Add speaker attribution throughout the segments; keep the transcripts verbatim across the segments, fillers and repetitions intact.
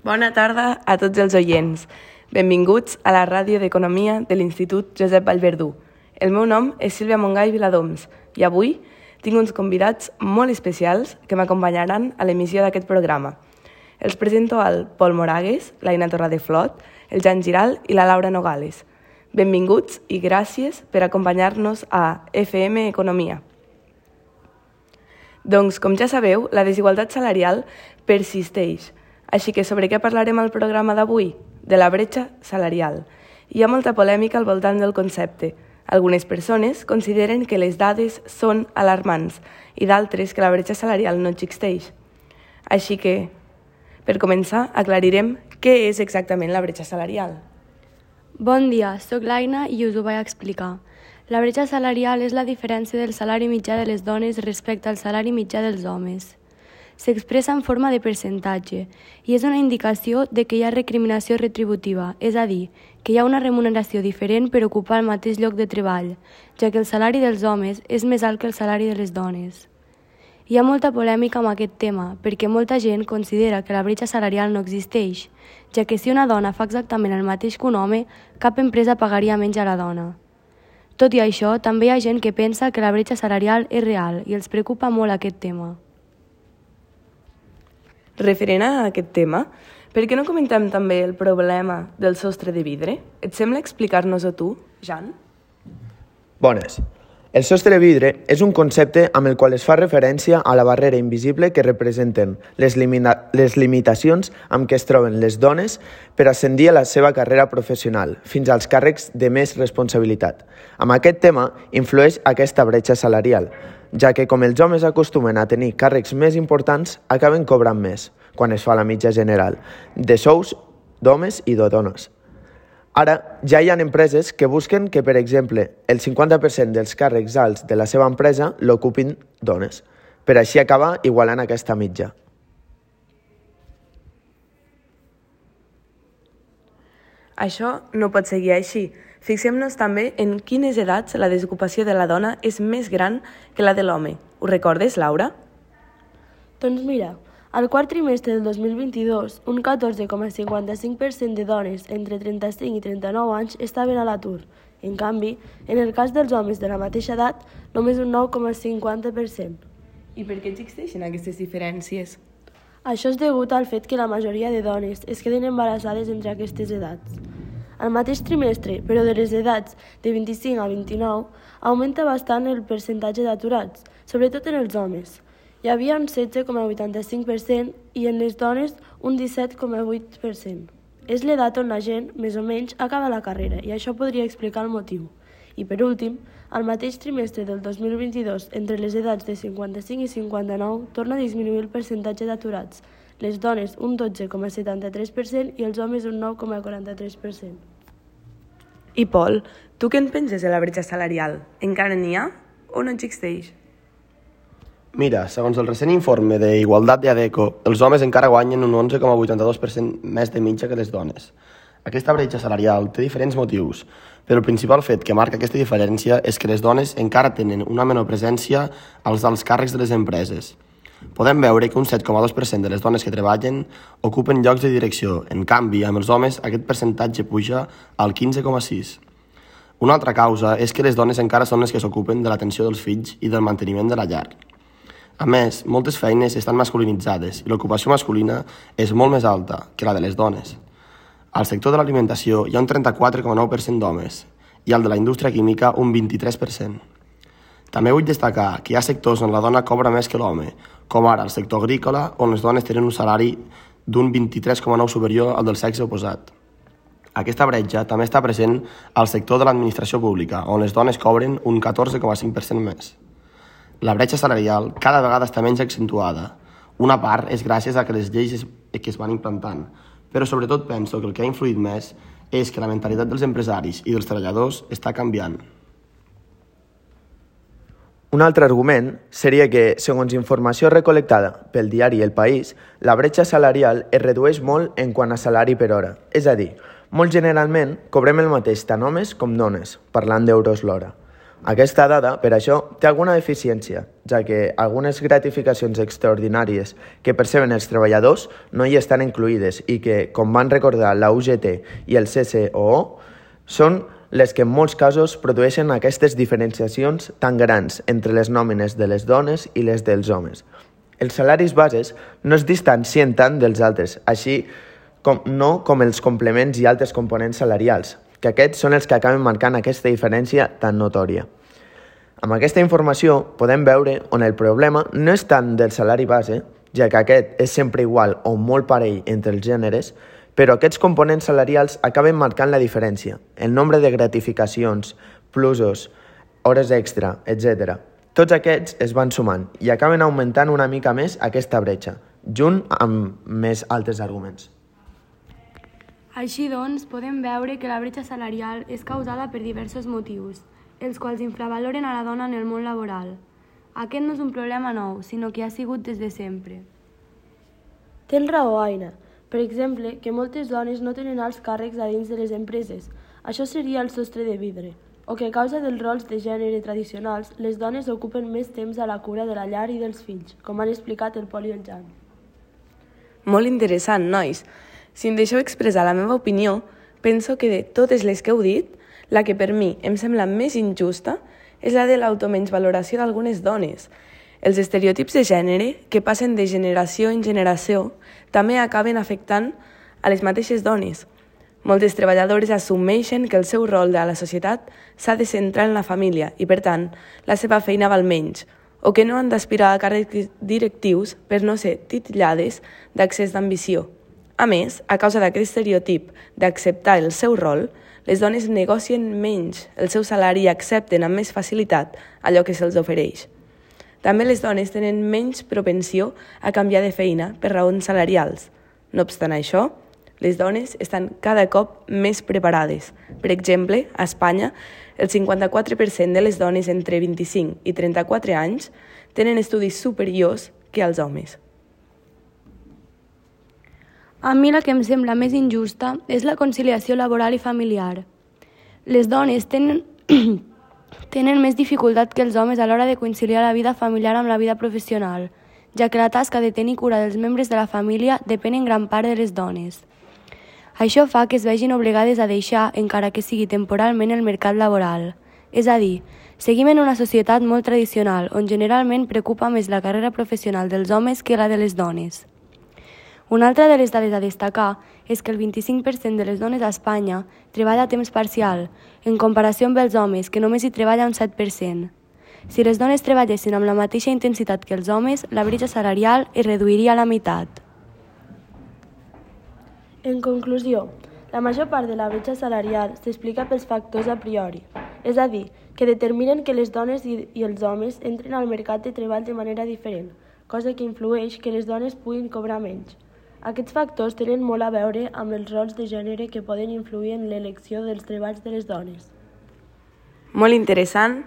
Speaker 1: Bona tarda a tots els oients. Benvinguts a la ràdio d'Economia de l'Institut Josep Vallverdú. El meu nom és Sílvia Montgai Viladoms i avui tinc uns convidats molt especials que m'acompanyaran a l'emissió d'aquest programa. Els presento al Pol Moragues, l'Aina Torradeflot, el Jan Giral i la Laura Nogales. Benvinguts i gràcies per acompanyar-nos a F M Economia. Doncs, com ja sabeu, la desigualtat salarial persisteix. Així que sobre què parlarem al programa d'avui? De la bretxa salarial. Hi ha molta polèmica al voltant del concepte. Algunes persones consideren que les dades són alarmants i d'altres que la bretxa salarial no existeix. Així que, per començar, aclarirem què és exactament la bretxa salarial.
Speaker 2: Bon dia, soc l'Aina i us ho vaig explicar. La bretxa salarial és la diferència del salari mitjà de les dones respecte al salari mitjà dels homes. S'expressa en forma de percentatge i és una indicació de que hi ha recriminació retributiva, és a dir, que hi ha una remuneració diferent per ocupar el mateix lloc de treball, ja que el salari dels homes és més alt que el salari de les dones. Hi ha molta polèmica amb aquest tema, perquè molta gent considera que la bretxa salarial no existeix, ja que si una dona fa exactament el mateix que un home, cap empresa pagaria menys a la dona. Tot i això, també hi ha gent que pensa que la bretxa salarial és real i els preocupa molt aquest tema.
Speaker 1: Referent a aquest tema, per què no comentem també el problema del sostre de vidre? Et sembla explicar-nos-ho tu, Jan?
Speaker 3: Bones. El sostre de vidre és un concepte amb el qual es fa referència a la barrera invisible que representen les, limita- les limitacions amb què es troben les dones per ascendir a la seva carrera professional, fins als càrrecs de més responsabilitat. Amb aquest tema influeix aquesta bretxa salarial, ja que com els homes acostumen a tenir càrrecs més importants, acaben cobrant més, quan es fa la mitja general, de sous d'homes i de dones. Ara, ja hi ha empreses que busquen que, per exemple, el cinquanta per cent dels càrrecs alts de la seva empresa l'ocupin dones, per així acabar igualant aquesta mitja.
Speaker 1: Això no pot seguir així. Fixem-nos també en quines edats la desocupació de la dona és més gran que la de l'home. Ho recordes, Laura?
Speaker 4: Doncs mira, al quart trimestre del dos mil vint-i-dos, un catorze coma cinquanta-cinc per cent de dones entre trenta-cinc i trenta-nou anys estaven a l'atur. En canvi, en el cas dels homes de la mateixa edat, només un nou coma cinquanta per cent.
Speaker 1: I per què existeixen aquestes diferències?
Speaker 4: Això és degut al fet que la majoria de dones es queden embarassades entre aquestes edats. Al mateix trimestre, però de les edats de vint-i-cinc a vint-i-nou, augmenta bastant el percentatge d'aturats, sobretot en els homes. Hi havia un setze coma vuitanta-cinc per cent i en les dones un disset coma vuit per cent. És l'edat on la gent, més o menys, acaba la carrera i això podria explicar el motiu. I per últim, al mateix trimestre del dos mil vint-i-dos, entre les edats de cinquanta-cinc i cinquanta-nou, torna a disminuir el percentatge d'aturats. Les dones un dotze coma setanta-tres per cent i els homes un nou coma quaranta-tres per cent.
Speaker 1: I Pol, tu què en penses de la bretxa salarial? Encara n'hi ha o no existeix?
Speaker 5: Mira, segons el recent informe d'Igualtat de ADECO, els homes encara guanyen un onze coma vuitanta-dos per cent més de mitja que les dones. Aquesta bretxa salarial té diferents motius, però el principal fet que marca aquesta diferència és que les dones encara tenen una menor presència als alts càrrecs de les empreses. Podem veure que un set coma dos per cent de les dones que treballen ocupen llocs de direcció. En canvi, amb els homes aquest percentatge puja al quinze coma sis. Una altra causa és que les dones encara són les que s'ocupen de l'atenció dels fills i del manteniment de la llar. A més, moltes feines estan masculinitzades i l'ocupació masculina és molt més alta que la de les dones. Al sector de l'alimentació hi ha un trenta-quatre coma nou per cent d'homes i al de la indústria química un vint-i-tres per cent. També vull destacar que hi ha sectors on la dona cobra més que l'home, com ara el sector agrícola, on les dones tenen un salari d'un vint-i-tres coma nou superior al del sexe oposat. Aquesta bretxa també està present al sector de l'administració pública, on les dones cobren un catorze coma cinc per cent més. La bretxa salarial cada vegada està menys accentuada. Una part és gràcies a que les lleis es, que es van implantant, però sobretot penso que el que ha influït més és que la mentalitat dels empresaris i dels treballadors està canviant.
Speaker 3: Un altre argument seria que, segons informació recol·lectada pel diari El País, la bretxa salarial es redueix molt en quant a salari per hora. És a dir, molt generalment cobrem el mateix tant homes com dones, parlant d'euros l'hora. Aquesta dada, per això, té alguna deficiència, ja que algunes gratificacions extraordinàries que perceben els treballadors no hi estan incluïdes i que, com van recordar la U G T i el C C O O, són les que en molts casos produeixen aquestes diferenciacions tan grans entre les nòmines de les dones i les dels homes. Els salaris bases no es distancien tant dels altres, així com no com els complements i altres components salarials, que aquests són els que acaben marcant aquesta diferència tan notòria. Amb aquesta informació podem veure on el problema no és tant del salari base, ja que aquest és sempre igual o molt parell entre els gèneres, però aquests components salarials acaben marcant la diferència, el nombre de gratificacions, plusos, hores extra, etcètera. Tots aquests es van sumant i acaben augmentant una mica més aquesta bretxa, junt amb més altres arguments.
Speaker 2: Així doncs, podem veure que la bretxa salarial és causada per diversos motius, els quals infravaloren a la dona en el món laboral. Aquest no és un problema nou, sinó que ha sigut des de sempre.
Speaker 4: Tens raó, Aina. Per exemple, que moltes dones no tenen alts càrrecs a dins de les empreses. Això seria el sostre de vidre. O que a causa dels rols de gènere tradicionals, les dones ocupen més temps a la cura de la llar i dels fills, com han explicat el Pol i el Jan.
Speaker 1: Molt interessant, nois. Si em deixeu expressar la meva opinió, penso que de totes les que heu dit, la que per mi em sembla més injusta és la de l'automenysvaloració d'algunes dones. Els estereotips de gènere, que passen de generació en generació, també acaben afectant a les mateixes dones. Moltes treballadores assumeixen que el seu rol a la societat s'ha de centrar en la família i, per tant, la seva feina val menys, o que no han d'aspirar a càrrecs directius per no ser titllades d'accés d'ambició. A més, a causa d'aquest estereotip d'acceptar el seu rol, les dones negocien menys el seu salari i accepten amb més facilitat allò que se'ls ofereix. També les dones tenen menys propensió a canviar de feina per raons salarials. No obstant això, les dones estan cada cop més preparades. Per exemple, a Espanya, el cinquanta-quatre per cent de les dones entre vint-i-cinc i trenta-quatre anys tenen estudis superiors que els homes.
Speaker 2: A mi la que em sembla més injusta és la conciliació laboral i familiar. Les dones tenen, tenen més dificultat que els homes a l'hora de conciliar la vida familiar amb la vida professional, ja que la tasca de tenir cura dels membres de la família depèn en gran part de les dones. Això fa que es vegin obligades a deixar, encara que sigui temporalment, el mercat laboral. És a dir, seguim en una societat molt tradicional, on generalment preocupa més la carrera professional dels homes que la de les dones. Una altra de les dades a destacar és que el vint-i-cinc per cent de les dones a Espanya treballa a temps parcial, en comparació amb els homes, que només hi treballa un set per cent. Si les dones treballessin amb la mateixa intensitat que els homes, la bretxa salarial es reduiria a la meitat.
Speaker 4: En conclusió, la major part de la bretxa salarial s'explica pels factors a priori, és a dir, que determinen que les dones i, i els homes entren al mercat de treball de manera diferent, cosa que influeix que les dones puguin cobrar menys. Aquests factors tenen molt a veure amb els rols de gènere que poden influir en l'elecció dels treballs de les dones.
Speaker 1: Molt interessant.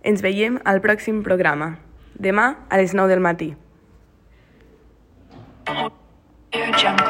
Speaker 1: Ens veiem al pròxim programa, demà a les nou del matí. Jump.